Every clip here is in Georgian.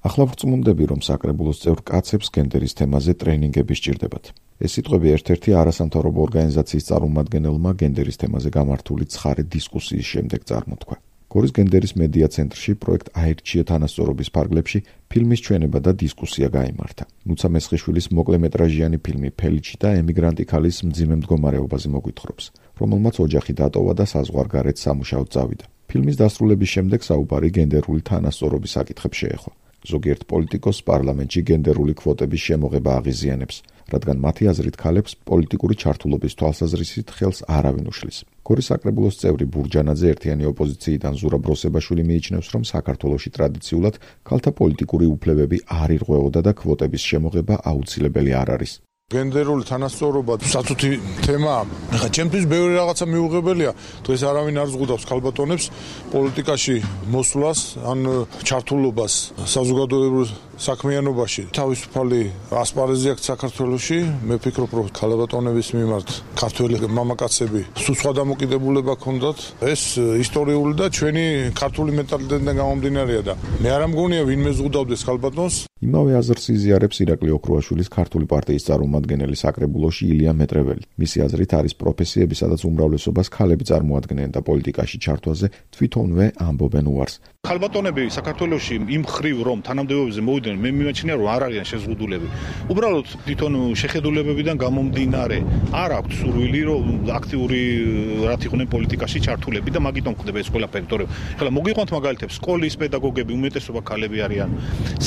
ახლა ვწმუნდები, რომ საკრებულოს წევრ კაცებს გენდერის თემაზე ტრენინგები სჭირდებათ. ეს სიტყვები ერთ-ერთი არასამთავრობო ორგანიზაციის წარმომადგენელმა გენდერის თემაზე გამართული ცხარე დისკუსიის შემდეგ წარმოთქვა. გორის გენდერის მედია ცენტრში პროექტ აირჩია თანასწორობის ფარგლებში ფილმის ჩვენება და დისკუსია გაიმართა. ნუცა მესხიშვილის მოკლემეტრაჟიანი ფილმი „ფელიჩი და ემიგრანტი ქალის მძიმე მდგომარეობაზე“ მოგვითხრობს, რომელმაც ოჯახი დატოვა და საზღვარგარეთ სამუშაოდ წავიდა. ფილმის დასრულების შემდეგ საუბარი გენდერული თანასწორობის საკითხებს შეეხო. ზოგიერთ პოლიტიკოსს პარლამენტში გენდერული კვოტების შემოღება აღიზიანებს, რადგან მათი აზრით ქალებს პოლიტიკური ჩართულობის თვალსაზრისით ხელს არავინ უშლის. გორის საკრებულოს წევრი ბურჯანაძე ერთიანი ოპოზიციიდან ზურაბ როსებაშვილი მიიჩნევს, რომ საქართველოში ტრადიციულად ქალთა პოლიტიკური უფლებები არ ირღვეოდა და კვოტების შემოღება აუცილებელი არ არის. გენდერული თანასწორობა საწუთი თემაა. ხა ჩემთვის ბევრი რაღაცა მიუღებელია. დღეს არავინ არ ზღუდავს ქალბატონებს პოლიტიკაში მოსვლას ან ჩართულობას საზოგადოებრივ საქმიანობაში. თავისუფალი ასპარეზი აქვს საქართველოში. მე ვფიქრობ, რომ ქალბატონების მიმართ ქართველი მამაკაცები სულ სხვა დამოკიდებულება ჰქონდათ. ეს ისტორიული და ჩვენი ქართული მენტალიტეტიდან გამომდინარეა და მე არ მგონია ვინმე ზღუდავდეს ქალბატონს. იმავე აზრს იზიარებს ირაკლი ოქრუაშვილის ქართული პარტიის წარმომადგენელი საკრებულოში ილია მეტრეველი. მისი აზრით არის პროფესიები, სადაც უმრავლესობას ქალები წარმოადგენენ და პოლიტიკაში ჩართვაზე თვითონვე ამბობენ უარს. ქალბატონები საქართველოში იმ ხრივ რომ თანამდებობებზე მოვიდნენ, მე მიმაჩნია რომ არ არიან შეზღუდულები. უბრალოდ თვითონ შეხედულებებიდან გამომდინარე არ აქვთ სურვილი რომ აქტიური რაც იყვნენ პოლიტიკაში ჩართულები და მაგიტომ ხდება ეს ყველა ფაქტორები. ხლა მოგიყვანთ მაგალითებს, სკოლის პედაგოგები უმეტესობა ქალები არიან.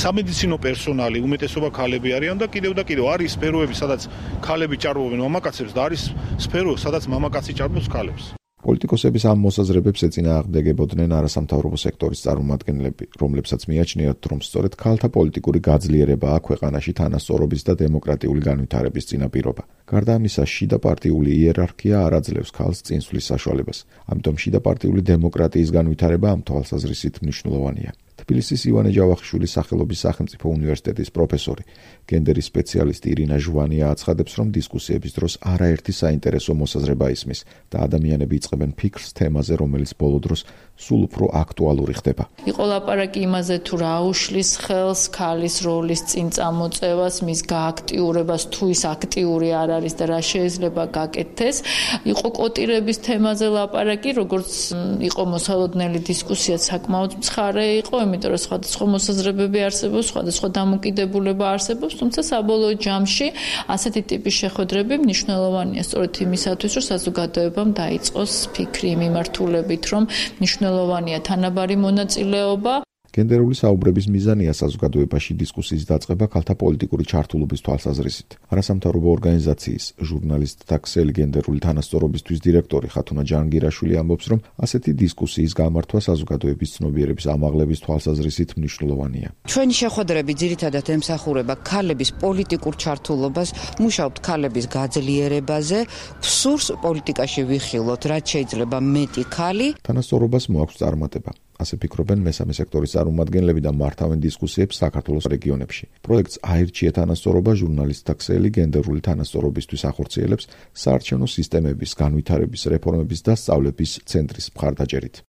სამედიცინო პერსონალი უმეტესობა ქალები არიან და კიდევ არის სფეროები, სადაც ქალები ჭარბობენ მამაკაცებს და არის სფერო, სადაც მამაკაცი ჭარბობს ქალებს. პოლიტიკოსების ამ მოსაზრებებს ეწინააღმდეგებოდნენ არასამთავრობო სექტორის წარმომადგენლები, რომლებსაც მიაჩნიათ, რომ სწორედ ქალთა პოლიტიკური გაძლიერებაა ქვეყანაში თანასწორობის და დემოკრატიული განვითარების წინაპირობა. გარდა ამისა, შიდა პარტიული იერარქია არ აძლევს ქალს წინსვლის საშუალებას. ამიტომ შიდა პარტიული დემოკრატიის განვითარება ამ თვალსაზრისით მნიშვნელოვანია. თბილისის ივანე ჯავახიშვილის სახელობის სახელმწიფო უნივერსიტეტის პროფესორი, გენდერის სპეციალისტი ირინა ჟვანია აცხადებს, რომ დისკუსიების დროს არაერთი საინტერესო მოსაზრება ისმის და ადამიანები იწყებენ ფიქრს თემაზე, რომელიც ბოლო დროს სულ უფრო აქტუალური ხდება. იყო ლაპარაკი იმაზე, თუ რა უშლის ხელს ქალის როლის წინ წამოწევას, მის გააქტიურებას, თუ ის აქტიური არ არის და რა შეიძლება გაკეთდეს. იყო კოტირების თემაზე ლაპარაკი, როგორც იყო მოსალოდნელი დისკუსია, საკმაოდ მცხარე იყო, იმიტომ რომ სხვადასხვა მოსაზრებები არსებობს, სხვადასხვა დამოკიდებულება არსებობს, თუმცა საბოლოო ჯამში ასეთი ტიპის შეხვედრები მნიშვნელოვანია სწორედ იმისათვის, რომ საზოგადოებამ დაიწყოს ფიქრი მიმართულებით, რომ მნიშვნელოვანია თანაბარი მონაწილეობა. გენდერული საუბრების მიზანია საზოგადოებაში დისკუსიის დაწყება ქალთა პოლიტიკური ჩართულობის თვალსაზრისით. არასამთავრობო ორგანიზაციის ჟურნალისტთა ქსელი გენდერული თანასწორობისთვის დირექტორი ხათუნა ჯანგირაშვილი ამბობს, რომ ასეთი დისკუსიის გამართვა საზოგადოების ცნობიერების ამაღლების თვალსაზრისით მნიშვნელოვანია. ჩვენი შეხვედრები ძირითადად ემსახურება ქალების პოლიტიკურ ჩართულობას, მუშაობთ ქალების გაძლიერებაზე, სურს პოლიტიკაში ვიხილოთ, რაც შეიძლება მეტი ქალი. თანასწორობას მოაქვს წარმატება. ასე ფიქრობენ მესამე სექტორის წარმომადგენლები და მართავენ დისკუსიებს საქართველოს რეგიონებში. პროექტს აირჩია თანასწორობა ჟურნალისტთა ქსელი გენდერული თანასწორობისთვის ახორციელებს საარჩევნო სისტემების განვითარების რეფორმების და სწავლების ცენტრის მხარდაჭერით.